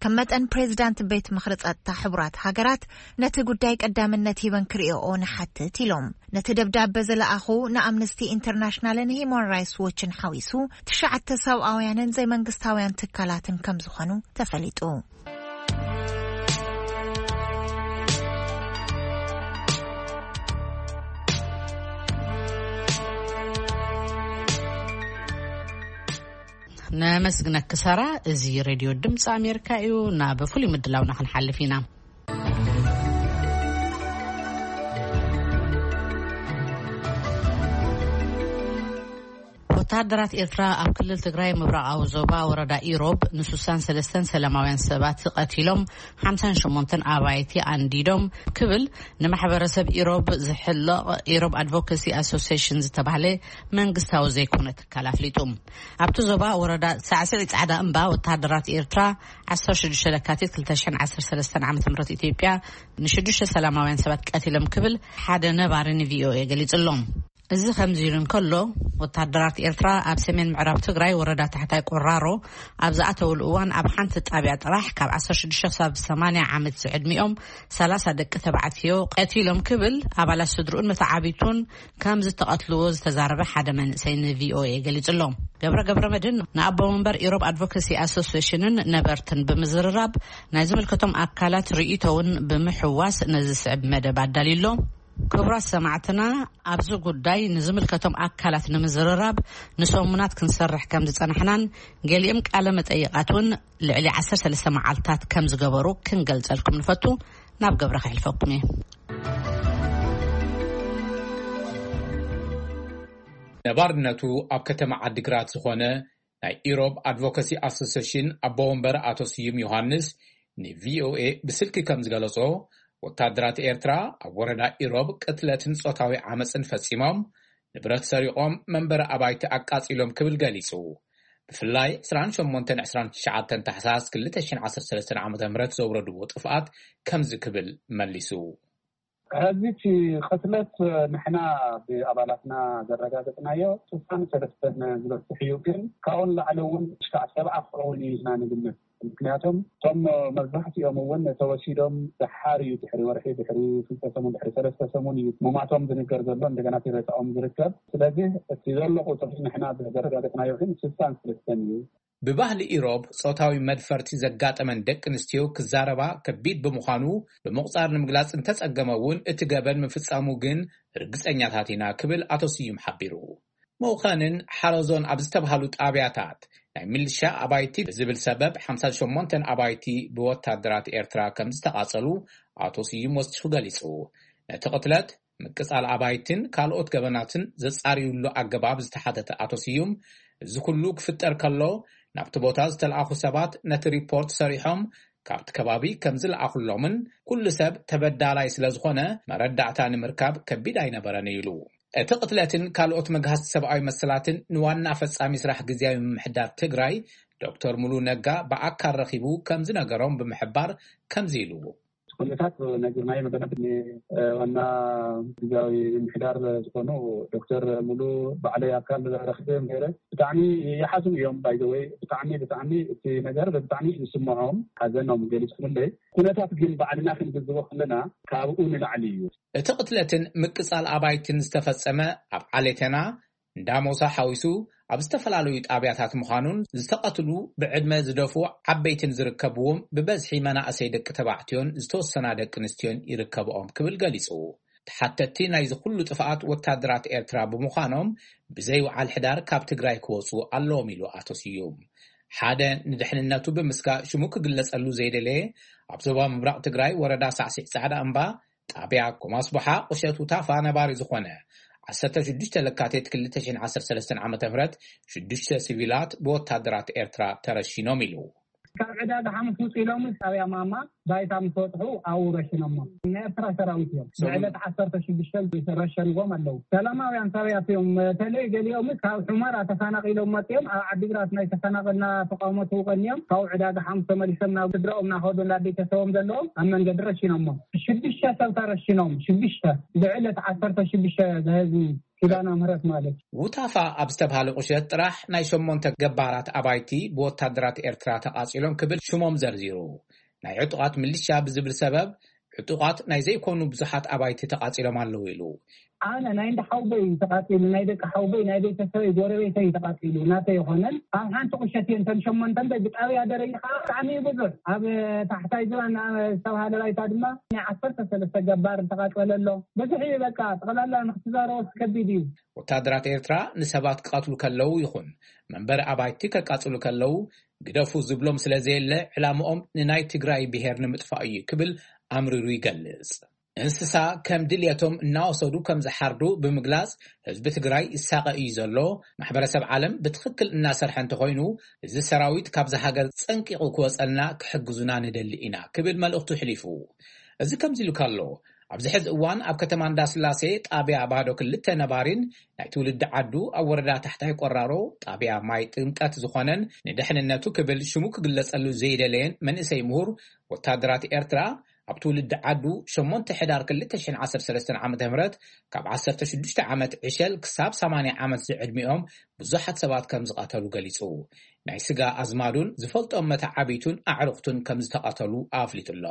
ከም መጠን ፕሬዚዳንት ቤት ምኽሪ ጸጥታ ሕቡራት ሃገራት ነቲ ጉዳይ ቀዳምነት ሂበን ክርእዮኦ ንሓትት ኢሎም። ነቲ ደብዳበ ዝለኣኹ ንኣምነስቲ ኢንተርናሽናልን ሂዩማን ራይትስ ዎችን ሓዊሱ ትሽዓተ ሰብኣውያንን ዘይመንግስታውያን ትካላትን ከም ዝኾኑ ተፈሊጡ። ነመስግነኪ ሳራ። እዚ ሬድዮ ድምፂ ኣሜሪካ እዩ። ናብ ፍሉይ ምድላውና ክንሓልፍ ኢና። ወተሃደራት ኤርትራ ኣብ ክልል ትግራይ ምብራቓዊ ዞባ ወረዳ ኢሮብ ንስሳን ሰለስተን ሰላማውያን ሰባት ቀቲሎም፣ ሓምሳን ሸሞንተን ኣባይቲ ኣንዲዶም ክብል ንማሕበረሰብ ኢሮብ ዝሕለቕ ኢሮብ ኣድቮካሲ ኣሶሲሽን ዝተባህለ መንግስታዊ ዘይኮነ ትካል ኣፍሊጡ። ኣብቲ ዞባ ወረዳ ሳዕስዒ ጻዕዳ እምባ ወተሃደራት ኤርትራ ዓሰርተ ሽዱሽተ ለካቲት ክልተ ሽሕን ዓሰርተ ሰለስተን ዓመተ ምህረት ኢትዮጵያ ንሽዱሽተ ሰላማውያን ሰባት ቀቲሎም ክብል ሓደ ነባሪ ንቪኦኤ ገሊጹ ኣሎ። እዚ ከምዚ ኢሉ እንከሎ፣ ወተሃደራት ኤርትራ ኣብ ሰሜን ምዕራብ ትግራይ ወረዳ ታሕታይ ቆራሮ ኣብ ዝኣተውሉ እዋን ኣብ ሓንቲ ጣብያ ጥራሕ ካብ ዓሰርተ ሽዱሽተ ክሳብ ሰማንያ ዓመት ዝዕድሚኦም ሰላሳ ደቂ ተባዕትዮ ቀቲሎም ክብል ኣባላት ስድርኡን መተዓቢቱን ከም ዝተቐትልዎ ዝተዛረበ ሓደ መንእሰይ ንቪኦኤ ገሊጹ ኣሎ። ገብረ ገብረ መድህን ንኣቦ መንበር ኢሮብ ኣድቮካሲ ኣሶሲሽንን ነበርትን ብምዝርራብ ናይ ዝምልከቶም ኣካላት ርእይቶ እውን ብምሕዋስ ነዚ ዝስዕብ መደብ ኣዳልዩ ኣሎ። ክቡራት ሰማዕትና፣ ኣብዚ ጉዳይ ንዝምልከቶም ኣካላት ንምዝርራብ ንሰሙናት ክንሰርሕ ከም ዝጸናሕናን ገሊኦም ቃለ መጠይቓት እውን ልዕሊ ዓሰርተ ሰለስተ መዓልታት ከም ዝገበሩ ክንገልጸልኩም ንፈቱ። ናብ ገብረ ከሕልፈኩም እየ። ነባርነቱ ኣብ ከተማ ዓዲግራት ዝኾነ ናይ ኢሮብ ኣድቮካሲ ኣሶሲሽን ኣቦ ወንበር ኣቶ ስዩም ዮሃንስ ንቪኦኤ ብስልኪ ከም ዝገለጾ፣ ወታደራት ኤርትራ ኣብ ወረዳ ኢሮብ ቅትለትን ጾታዊ ዓመጽን ፈጺሞም፣ ንብረት ሰሪቖም፣ መንበሪ ኣባይቲ ኣቃጺሎም ክብል ገሊጹ። ብፍላይ ዕስራን ሸሞንተን ዕስራን ትሽዓተን ታሕሳስ ክልተ ሽሕን ዓሰርተ ሰለስተን ዓመተ ምህረት ዘውረድዎ ጥፍኣት ከምዚ ክብል መሊሱ። ሕዚ እቲ ቅትለት ንሕና ብኣባላትና ዘረጋገጽናዮ ስሳን ሰለስተን ዝበጽሕ እዩ፣ ግን ካብኡ ንላዕሊ እውን ክሻዕ ሰብዓ ክኸውን እዩ ኢልና ንግምት። ምክንያቱም እቶም መብዛሕትኦም እውን ተወሲዶም ደሓር እዩ፣ ድሕሪ ወርሒ፣ ድሕሪ ክልተ ሰሙን፣ ድሕሪ ሰለስተ ሰሙን እዩ ምማቶም ዝንገር ዘሎ፣ እንደገና እቲ ሬሳኦም ዝርከብ። ስለዚህ እቲ ዘሎ ቁፅሪ ንሕና ዘረጋገፅናዮ ግን ስሳን ክልተን እዩ። ብባህሊ ኢሮብ ጾታዊ መድፈርቲ ዘጋጠመን ደቂ ኣንስትዮ ክዛረባ ከቢድ ብምዃኑ ብምቑጻር ንምግላጽ እንተጸገመ እውን እቲ ገበን ምፍጻሙ ግን ርግጸኛታት ኢና ክብል ኣቶ ስዩም ሓቢሩ። መውኸንን ሓረዞን ኣብ ዝተብሃሉ ጣብያታት ናይ ሚሊሻ ኣባይቲ ብዝብል ሰበብ ሓምሳ ሸሞንተ ኣባይቲ ብወታደራት ኤርትራ ከም ዝተቓጸሉ ኣቶ ስዩም ወሲኹ ገሊጹ። ነቲ ቅትለት ምቅጻል ኣባይትን ካልኦት ገበናትን ዘጻርዩሉ ኣገባብ ዝተሓተተ ኣቶ ስዩም፣ እዚ ኩሉ ክፍጠር ከሎ ናብቲ ቦታ ዝተለኣኹ ሰባት ነቲ ሪፖርት ሰሪሖም ካብቲ ከባቢ ከም ዝለኣኹሎምን ኩሉ ሰብ ተበዳላይ ስለ ዝኾነ መረዳእታ ንምርካብ ከቢድ ኣይነበረን ኢሉ። እቲ ቅትለትን ካልኦት መግሃስቲ ሰብኣዊ መሰላትን ንዋና ፈጻሚ ስራሕ ግዝያዊ ምምሕዳር ትግራይ ዶክተር ሙሉ ነጋ ብኣካል ረኺቡ ከም ዝነገሮም ብምሕባር ከምዚ ኢሉ። ኩነታት ነጊርናዮ መደብ ዋና ግዝያዊ ምምሕዳር ዝኾኑ ዶክተር ሙሉ ባዕለይ ኣካል ረኽበዮም ነይረ። ብጣዕሚ ይሓዝኑ እዮም። ባይዘወይ ብጣዕሚ ብጣዕሚ እቲ ነገር ብጣዕሚ ይስምዖም፣ ሓዘኖም ገሊፅኩምለይ። ኩነታት ግን ባዕልና ክንግዝቦ ከለና ካብኡ ንላዕሊ እዩ። እቲ ቅትለትን ምቅጻል ኣባይትን ዝተፈጸመ ኣብ ዓሌተና እንዳሞሳ ሓዊሱ ኣብ ዝተፈላለዩ ጣብያታት ምዃኑን ዝተቐትሉ ብዕድመ ዝደፍኡ ዓበይትን ዝርከብዎም ብበዝሒ መናእሰይ ደቂ ተባዕትዮን ዝተወሰና ደቂ ኣንስትዮን ይርከብኦም ክብል ገሊጹ። ተሓተትቲ ናይዚ ኩሉ ጥፍኣት ወታደራት ኤርትራ ብምዃኖም ብዘይውዓል ሕዳር ካብ ትግራይ ክወፁ ኣለዎም ኢሉ ኣቶ ስዩም። ሓደ ንድሕንነቱ ብምስጋ ሽሙ ክግለጸሉ ዘይደለየ ኣብ ዞባ ምብራቕ ትግራይ ወረዳ ሳዕሲዕ ጻዕዳ እምባ ጣብያ ኮማስቦሓ ቁሸት ውታፋ ነባሪ ዝኾነ ዓሰርተ ሽዱሽተ ለካቲት ክልተ ሽሕን ዓሰርተ ሰለስተን ዓመተ ምህረት ሽዱሽተ ሲቪላት ብወታደራት ኤርትራ ተረሺኖም ኢሉ። ካብ ዕዳጋ ሓሙስ ውፅ ኢሎም ጣብያ ማማ ባይታ ምስ ወጥሑ ኣብኡ ረሽኖሞ። ናይ ኤርትራ ሰራዊት እዮም። ብዕለት ዓሰርተ ሽዱሽተ ረሸንዎም ኣለዉ። ሰላማውያን ሰባት እዮም። በተለይ ገሊኦም ካብ ሑመራ ተፈናቒሎም መፅኦም ኣብ ዓዲግራት ናይ ተፈናቐልና ተቃውሞ ተውቀንዮም ካብኡ ዕዳጋ ሓሙስ ተመሊሶም ናብ ስድራኦም እናኸዱ እንዳ ቤተሰቦም ዘለዎም ኣብ መንገዲ ረሽኖሞ። ሽዱሽተ ሰብ ተረሽኖም፣ ሽዱሽተ ብዕለት ዓሰርተ ሽዱሽተ ዝህዝቢ ኪዳነ ምህረት ማለት እዩ። ውታፋ ኣብ ዝተባሃለ ቁሸት ጥራሕ ናይ ሸሞንተ ገባራት ኣባይቲ ብወታደራት ኤርትራ ተቓጺሎም ክብል ሽሞም ዘርዚሩ። ናይ ዕጡቓት ምልሻ ብዝብል ሰበብ ዕጡቓት ናይ ዘይኮኑ ብዙሓት ኣባይቲ ተቓጺሎም ኣለዉ ኢሉ። ኣነ ናይ እንዳ ሓውበይ ተቓጺሉ፣ ናይ ደቂ ሓውበይ፣ ናይ ቤተሰበይ፣ ጎረቤተይ ተቓጺሉ፣ ናተይ ይኾነን። ኣብ ሓንቲ ቁሸት እየን እተን ሸሞንተ እምበር ብጣብያ ደረጃ ከዓ ብጣዕሚ እዩ ብዙሕ። ኣብ ታሕታይ ዝባን ዝተባሃለ ባይታ ድማ ናይ ዓሰርተ ሰለስተ ገባር ተቓጸለ ኣሎ። ብዙሕ እዩ በቃ፣ ጠቕላላ ንክትዛረቦ ከቢድ እዩ። ወታደራት ኤርትራ ንሰባት ክቐትሉ ከለዉ ይኹን መንበሪ ኣባይቲ ከቃጽሉ ከለዉ ግደፉ ዝብሎም ስለ ዘየለ ዕላምኦም ንናይ ትግራይ ብሄር ንምጥፋእ እዩ ክብል ኣምሪሩ ይገልጽ። እንስሳ ከም ድልየቶም እናወሰዱ ከም ዝሓርዱ ብምግላጽ ህዝቢ ትግራይ ይሳቐ እዩ ዘሎ። ማሕበረሰብ ዓለም ብትኽክል እናሰርሐ እንተኾይኑ እዚ ሰራዊት ካብዚ ሃገር ጸንቂቑ ክወጸልና ክሕግዙና ንደሊ ኢና ክብል መልእኽቱ ኣሕሊፉ። እዚ ከምዚ ኢሉ ከሎ ኣብዚ ሕዚ እዋን ኣብ ከተማ እንዳስላሴ ጣብያ ባዶ ክልተ ነባሪን ናይ ትውልዲ ዓዱ ኣብ ወረዳ ታሕታይ ቆራሮ ጣብያ ማይ ጥምቀት ዝኾነን ንድሕንነቱ ክብል ሽሙ ክግለጸሉ ዘይደለየን መንእሰይ ምሁር ወታደራት ኤርትራ ኣብ ትውልዲ ዓዱ ሸሞንተ ሕዳር ክልተ ሽሕን ዓሰርተ ሰለስተን ዓመተ ምህረት ካብ ዓሰርተ ሽዱሽተ ዓመት ዕሸል ክሳብ ሰማንያ ዓመት ዝዕድሚኦም ብዙሓት ሰባት ከም ዝቐተሉ ገሊጹ። ናይ ስጋ ኣዝማዱን ዝፈልጦም መተዓቢቱን ኣዕሩኽቱን ከም ዝተቐተሉ ኣፍሊጡ ኣሎ።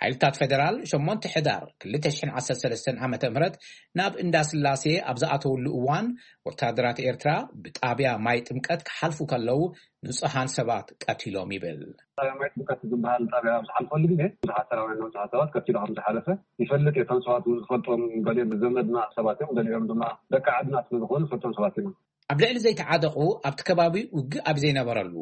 ሓይልታት ፌደራል ሸሞንተ ሕዳር ክልተ ሽሕን ዓሰርተ ሰለስተን ዓመተ ምህረት ናብ እንዳ ስላሴ ኣብ ዝኣተውሉ እዋን ወታደራት ኤርትራ ብጣብያ ማይ ጥምቀት ክሓልፉ ከለዉ ንጹሃን ሰባት ቀቲሎም ይብል። ጣብያ ማይ ጥምቀት ዝበሃል ጣብያ ኣብ ዝሓልፈሉ ግዜ ብዙሓት ሰራውያን ንብዙሓት ሰባት ቀቲሉ ከም ዝሓለፈ ይፈልጥ እየ። እቶም ሰባት እውን ዝፈልጦም ገሊኦም ብዘመድና ሰባት እዮም፣ ገሊኦም ድማ ደቂ ዓድና ስለ ዝኾኑ ዝፈልጦም ሰባት ኢና። ኣብ ልዕሊ ዘይተዓጠቑ ኣብቲ ከባቢ ውግእ ኣብ ዘይነበረሉ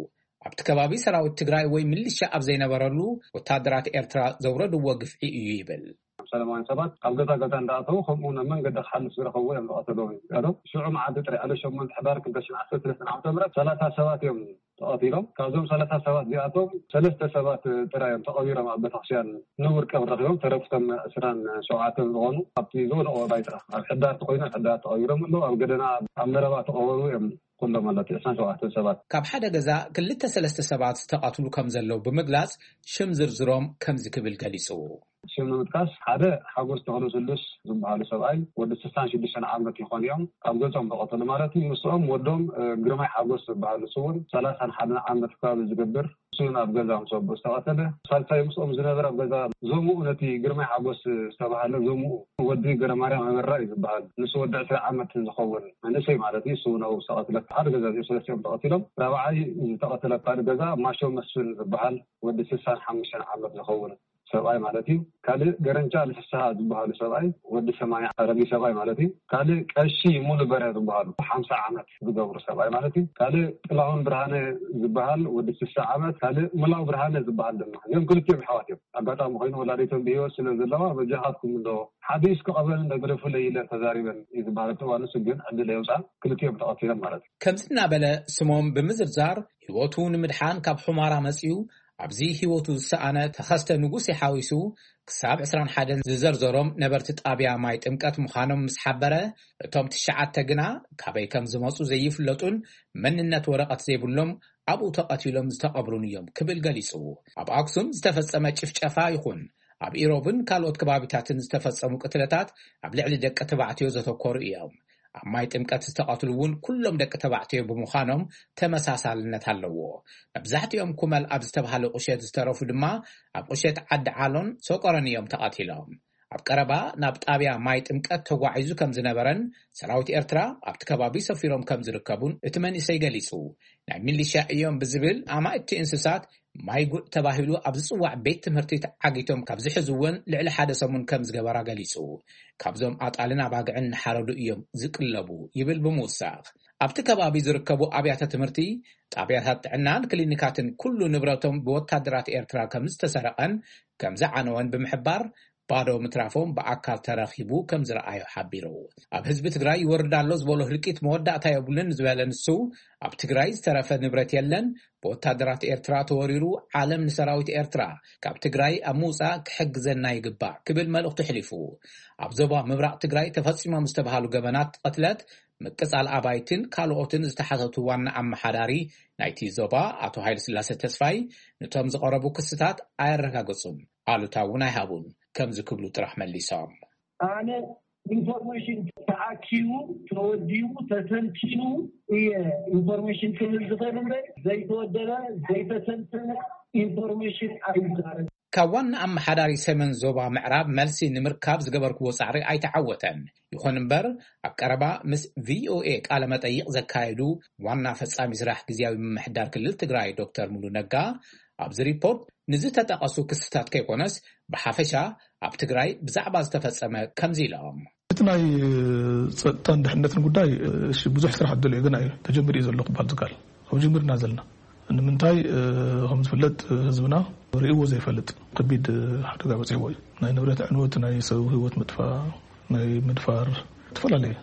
ኣብቲ ከባቢ ሰራዊት ትግራይ ወይ ምልሻ ኣብ ዘይነበረሉ ወታደራት ኤርትራ ዘውረድዎ ግፍዒ እዩ ይብል። ሰላማውያን ሰባት ኣብ ገዛ ገዛ እንዳኣተዉ ከምኡ ናብ መንገዲ ክሓልፍ ዝረኸብዎ እዮም ዝቐተልዎም እዩ። ሽዑ መዓልቲ ጥራሕ ዕለት ሸሞንተ ሕዳር ክልተ ሽሕን ዓሰርተ ሰለስተን ዓመተ ምህረት ሰላሳ ሰባት እዮም ተቐቲሎም። ካብዞም ሰላሳ ሰባት እዚኣቶም ሰለስተ ሰባት ጥራይ እዮም ተቐቢሮም ኣብ ቤተክርስትያን ንቡር ቀብሪ ረኺቦም። ተረፉ እቶም ዕስራን ሸውዓተን ዝኾኑ ኣብቲ ዝወደቑ ባይታ ኣብ ሕዳር ተኾይኑ ኣብ ሕዳር ተቐቢሮም ኣለዉ። ኣብ ገደና ኣብ መረባ ተቐበሩ እዮም ኩሎም ማለት ዕስራን ሸውዓተን ሰባት። ካብ ሓደ ገዛ ክልተ ሰለስተ ሰባት ዝተቐትሉ ከም ዘለዉ ብምግላጽ ሽም ዝርዝሮም ከምዚ ክብል ገሊጹ። ሽም ንምጥቃስ ሓደ ሓጎስ ተኽለ ስሉስ ዝበሃሉ ሰብኣይ ወዲ ስሳን ሽዱሽተን ዓመት ይኾን እዮም። ካብ ገጾም ተቐተሉ ማለት እዩ። ምስኦም ወዶም ግርማይ ሓጎስ ዝበሃሉ ስውን ሰላሳን ሓደን ዓመት ከባቢ ዝገብር እሱን ኣብ ገዛ ምስ ኣቦ ዝተቐተለ። ሳልሳይ ምስኦም ዝነበረ ኣብ ገዛ ዞምኡ ነቲ ግርማይ ሓጎስ ዝተባሃለ ዞምኡ ወዲ ገረማርያም ኣበራ እዩ ዝበሃል። ንሱ ወዲ ዕስራ ዓመት ዝኸውን መንእሰይ ማለት እዩ። እሱ እውን ኣብኡ ዝተቐትለ ሓደ ገዛ እዚኦም ሰለስቲኦም ተቐቲሎም። ራብዓይ ዝተቐተለ ካልእ ገዛ ማሾ መስፍን ዝበሃል ወዲ ስሳን ሓሙሽተን ዓመት ዝኸውን ሰብኣይ ማለት እዩ። ካልእ ገረንቻ ልፍስሃ ዝበሃሉ ሰብኣይ ወዲ ሰማንያ ኣረጊ ሰብኣይ ማለት እዩ። ካልእ ቀሺ ሙሉ በረ ዝበሃሉ ሓምሳ ዓመት ዝገብሩ ሰብኣይ ማለት እዩ። ካልእ ጥላሁን ብርሃነ ዝበሃል ወዲ ስሳ ዓመት፣ ካልእ ሙላው ብርሃነ ዝበሃል ድማ። እዚኦም ክልቲኦም ኣሕዋት እዮም። ኣጋጣሚ ኮይኑ ወላዲቶም ብህይወት ስለ ዘለዋ በጃኻትኩም እንዶ ሓዲስ ክቐበል እንደ ግደፉለይ ኢለን ተዛሪበን እዩ ዝበሃል። ኣብቲ እዋን ንሱ ግን ዕድል የውፃ ክልቲኦም ተቐቲሎም ማለት እዩ። ከምዚ እናበለ ስሞም ብምዝርዛር ህይወቱ ንምድሓን ካብ ሑማራ መጺኡ ኣብዚ ህይወቱ ዝሰኣነ ተኸስተ ንጉሴ ሓዊሱ ክሳብ ዕስራን ሓደን ዝዘርዘሮም ነበርቲ ጣብያ ማይ ጥምቀት ምዃኖም ምስ ሓበረ፣ እቶም ትሽዓተ ግና ካበይ ከም ዝመጹ ዘይፍለጡን መንነት ወረቐት ዘይብሎም ኣብኡ ተቐቲሎም ዝተቐብሩን እዮም ክብል ገሊጹ። ኣብ ኣክሱም ዝተፈጸመ ጭፍጨፋ ይኹን ኣብ ኢሮብን ካልኦት ከባቢታትን ዝተፈጸሙ ቅትለታት ኣብ ልዕሊ ደቂ ተባዕትዮ ዘተኮሩ እዮም። ኣብ ማይ ጥምቀት ዝተቐትሉ እውን ኩሎም ደቂ ተባዕትዮ ብምዃኖም ተመሳሳልነት ኣለዎ። መብዛሕትኦም ኩመል ኣብ ዝተባሃለ ቁሸት ዝተረፉ ድማ ኣብ ቁሸት ዓዲ ዓሎን ሰቆረን እዮም ተቐቲሎም። ኣብ ቀረባ ናብ ጣብያ ማይ ጥምቀት ተጓዒዙ ከም ዝነበረን ሰራዊት ኤርትራ ኣብቲ ከባቢ ሰፊሮም ከም ዝርከቡን እቲ መንእሰይ ገሊጹ። ናይ ሚሊሻ እዮም ብዝብል ኣማእቲ እንስሳት ማይ ጉዕ ተባሂሉ ኣብ ዝጽዋዕ ቤት ትምህርቲ ተዓጊቶም ካብ ዝሕዝወን ልዕሊ ሓደ ሰሙን ከም ዝገበራ ገሊጹ። ካብዞም ኣጣልን ኣባግዕን እናሓረዱ እዮም ዝቅለቡ ይብል ብምውሳኽ። ኣብቲ ከባቢ ዝርከቡ ኣብያተ ትምህርቲ፣ ጣብያታት ጥዕናን ክሊኒካትን ኩሉ ንብረቶም ብወታደራት ኤርትራ ከም ዝተሰረቐን ከም ዝዓነወን ብምሕባር፣ ባዶ ምትራፎም ብኣካል ተረኺቡ ከም ዝረኣዮ ሓቢሩ። ኣብ ህዝቢ ትግራይ ይወርድ ኣሎ ዝበሎ ህልቂት መወዳእታ የብሉን ዝበለ ንሱ፣ ኣብ ትግራይ ዝተረፈ ንብረት የለን፣ ብወታደራት ኤርትራ ተወሪሩ፣ ዓለም ንሰራዊት ኤርትራ ካብ ትግራይ ኣብ ምውፃእ ክሕግዘና ይግባእ ክብል መልእኽቱ ኣሕሊፉ። ኣብ ዞባ ምብራቕ ትግራይ ተፈፂሞም ዝተባሃሉ ገበናት ቅትለት፣ ምቅፃል ኣባይትን ካልኦትን ዝተሓተቱ ዋና ኣመሓዳሪ ናይቲ ዞባ ኣቶ ሃይለስላሴ ተስፋይ፣ ነቶም ዝቐረቡ ክስታት ኣየረጋገፁን ኣሉታ እውን ኣይሃቡን። ከምዚ ክብሉ ጥራሕ መሊሶም። ኣነ ኢንፎርሜሽን ተኣኪቡ፣ ተወዲቡ፣ ተተንቲኑ እየ ኢንፎርሜሽን ክህብ ዝኽእል እምበር፣ ዘይተወደበ፣ ዘይተተንተነ ኢንፎርሜሽን ኣይዛረብ። ካብ ዋና ኣመሓዳሪ ሰሜን ዞባ ምዕራብ መልሲ ንምርካብ ዝገበርክዎ ጻዕሪ ኣይተዓወተን። ይኹን እምበር፣ ኣብ ቀረባ ምስ ቪኦኤ ቃለ መጠይቕ ዘካየዱ ዋና ፈጻሚ ስራሕ ግዝያዊ ምምሕዳር ክልል ትግራይ ዶክተር ሙሉ ነጋ፣ ኣብዚ ሪፖርት ንዝተጠቐሱ ክስታት ከይኮነስ፣ ብሓፈሻ ኣብ ትግራይ ብዛዕባ ዝተፈጸመ ከምዚ ኢሎም። እቲ ናይ ጸጥታን ድሕነትን ጉዳይ፣ እሺ፣ ብዙሕ ስራሕ ኣሎ፣ ግን እዩ ተጀሚሩ እዩ ዘሎ ክበሃል ዝከኣል። ኣብ ጀሚርና ዘለና። ንምንታይ፣ እ፣ ከም ዝፍለጥ፣ ህዝብና ርእይዎ ዘይፈልጥ ከቢድ ሓደጋ በጺሕዎ እዩ። ናይ ንብረት ዕንወት፣ ናይ ሰብ ህይወት ምጥፋእ፣ ናይ ምድፋር፣ ዝተፈላለዩ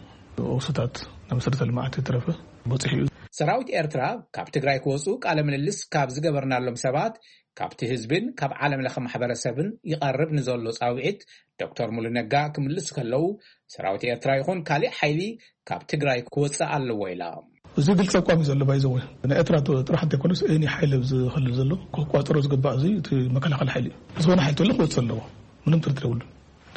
ኦስታት ናይ መሰረተ ልምዓት የተረፈ በጺሑ እዩ። ሰራዊት ኤርትራ ካብ ትግራይ ክወጹ ቃለ ምልልስ ካብ ዝገበርናሎም ሰባት፣ ካብቲ ህዝብን ካብ ዓለም ለኸ ማሕበረሰብን ይቐርብ ንዘሎ ጻውዒት ዶክተር ሙሉ ነጋ ክምልሱ ከለዉ፣ ሰራዊት ኤርትራ ይኹን ካሊእ ሓይሊ ካብ ትግራይ ክወጽእ ኣለዎ ኢሎም። እዚ ግልፂ ኣቋም እዩ ዘሎ። ባይዘወ ናይ ኤርትራ ጥራሕ እንተይኮነስ፣ ኤኒ ሓይሊ ኣብዚ ክልል ዘሎ ክቋፀሮ ዝግባእ፣ እዚ እቲ መከላኸሊ ሓይሊ እዩ። ዝኾነ ሓይሊ ተሎ ክወፅእ ኣለዎ፣ ምንም ጥርጥር የብሉን።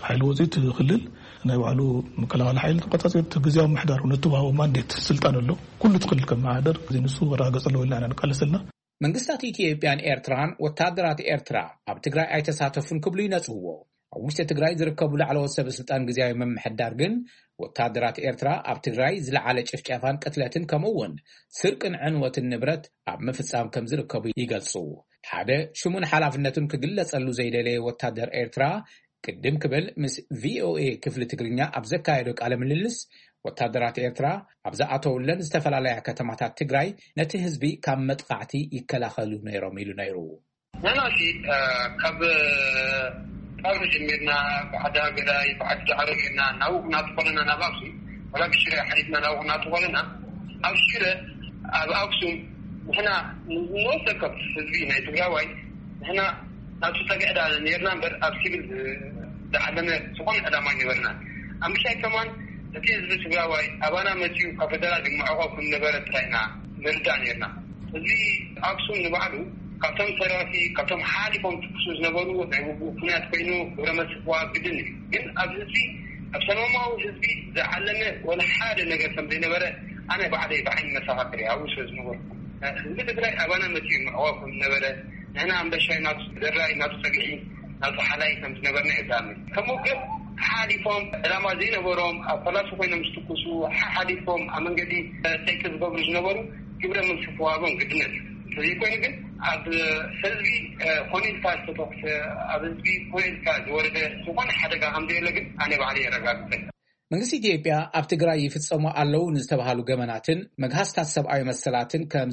ሓይሊ ወፂኡ እቲ ክልል ናይ ባዕሉ መከላኸሊ ሓይሊ ተቆፃፂሩ፣ እቲ ግዝያዊ ምምሕዳር እውን እተዋህቦ ማንዴት፣ ስልጣን ኣሎ፣ ኩሉ እቲ ክልል ከመሓደር። እዚ ንሱ ክረጋገፅ ኣለዎ ኢልና ኢና ንቃለስ ዘለና። መንግስታት ኢትዮጵያን ኤርትራን ወታደራት ኤርትራ ኣብ ትግራይ ኣይተሳተፉን ክብሉ ይነጽግዎ። ኣብ ውሽጢ ትግራይ ዝርከቡ ላዕለዎት ሰበ ስልጣን ግዝያዊ ምምሕዳር ግን፣ ወታደራት ኤርትራ ኣብ ትግራይ ዝለዓለ ጭፍጨፋን ቅትለትን ከምኡ እውን ስርቅን ዕንወትን ንብረት ኣብ ምፍጻም ከም ዝርከቡ ይገልጹ። ሓደ ሽሙን ሓላፍነቱን ክግለጸሉ ዘይደለየ ወታደር ኤርትራ ቅድም ክብል ምስ ቪኦኤ ክፍሊ ትግርኛ ኣብ ዘካየዶ ቃለ ምልልስ፣ ወታደራት ኤርትራ ኣብ ዝኣተውለን ዝተፈላለያ ከተማታት ትግራይ ነቲ ህዝቢ ካብ መጥቓዕቲ ይከላኸሉ ነይሮም ኢሉ ነይሩ። ንሕና ሲ ካብ ጣብያ ጀሚርና ብዓዲ ሃገዳይ ብዓዲ ዳዕሮ ጌርና ናብኡ ክናቱ ከለና ናብ ኣክሱም፣ ወላ ብሽረ ሓሊፍና ናብኡ ክናቱ ከለና፣ ኣብ ሽረ ኣብ ኣክሱም ንሕና ንወሰከብ ህዝቢ ናይ ትግራዋይ ንሕና ናቱ ፀግዒ ዳ ነርና እምበር ኣብ ሲቪል ዝዓለመ ዝኾነ ዕላማ ኣይነበርና። ኣብ ምሻይ ከማን እቲ ህዝቢ ትግራዋይ ኣባና መፅዩ ካብ ፈደራል ይመዕቆ ከም ነበረ ጥራይ ኢና ንርዳእ ነርና። ህዝቢ ኣክሱም ንባዕሉ ካብቶም ሰራፊ ካብቶም ሓሊፎም ትኩሱ ዝነበሩ ናይ ውግእ ኩናት ኮይኑ ግብረ መልሲ ክወሃብ ግድን እዩ። ግን ኣብ ህዝቢ ኣብ ሰላማዊ ህዝቢ ዝዓለመ ወላ ሓደ ነገር ከም ዘይነበረ ኣነ ባዕለይ ብዓይኒ መሰኻክር እየ ኣብኡ ስለ ዝነበርኩ። ህዝቢ ትግራይ ኣባና መፅኡ ምዕዋብ ከም ዝነበረ ንሕና ኣንበሻይ ናቱ ዘራይ ናቱ ፀግዒ ናቱ ሓላይ ከም ዝነበርና የዛምን ከም ውግእ ሓሊፎም ዕላማ ዘይነበሮም ኣብ ፈላሲ ኮይኖም ዝትኩሱ ሓሓሊፎም ኣብ መንገዲ ጠቂ ዝገብሩ ዝነበሩ ግብረ መልሲ ክወሃቦም ግድነት እዩ። እንተዘይኮይኑ ግን ኣብ ህዝቢ ኮነ ኢልካ ዝተተኩሰ ኣብ ህዝቢ ኮነ ኢልካ ዝወረደ ዝኾነ ሓደጋ ከም ዘየለ ግን ኣነ ባዕለ የረጋግፀ። መንግስቲ ኢትዮጵያ ኣብ ትግራይ ይፍፀሙ ኣለዉ ንዝተባሃሉ ገበናትን መግሃስታት ሰብኣዊ መሰላትን ከም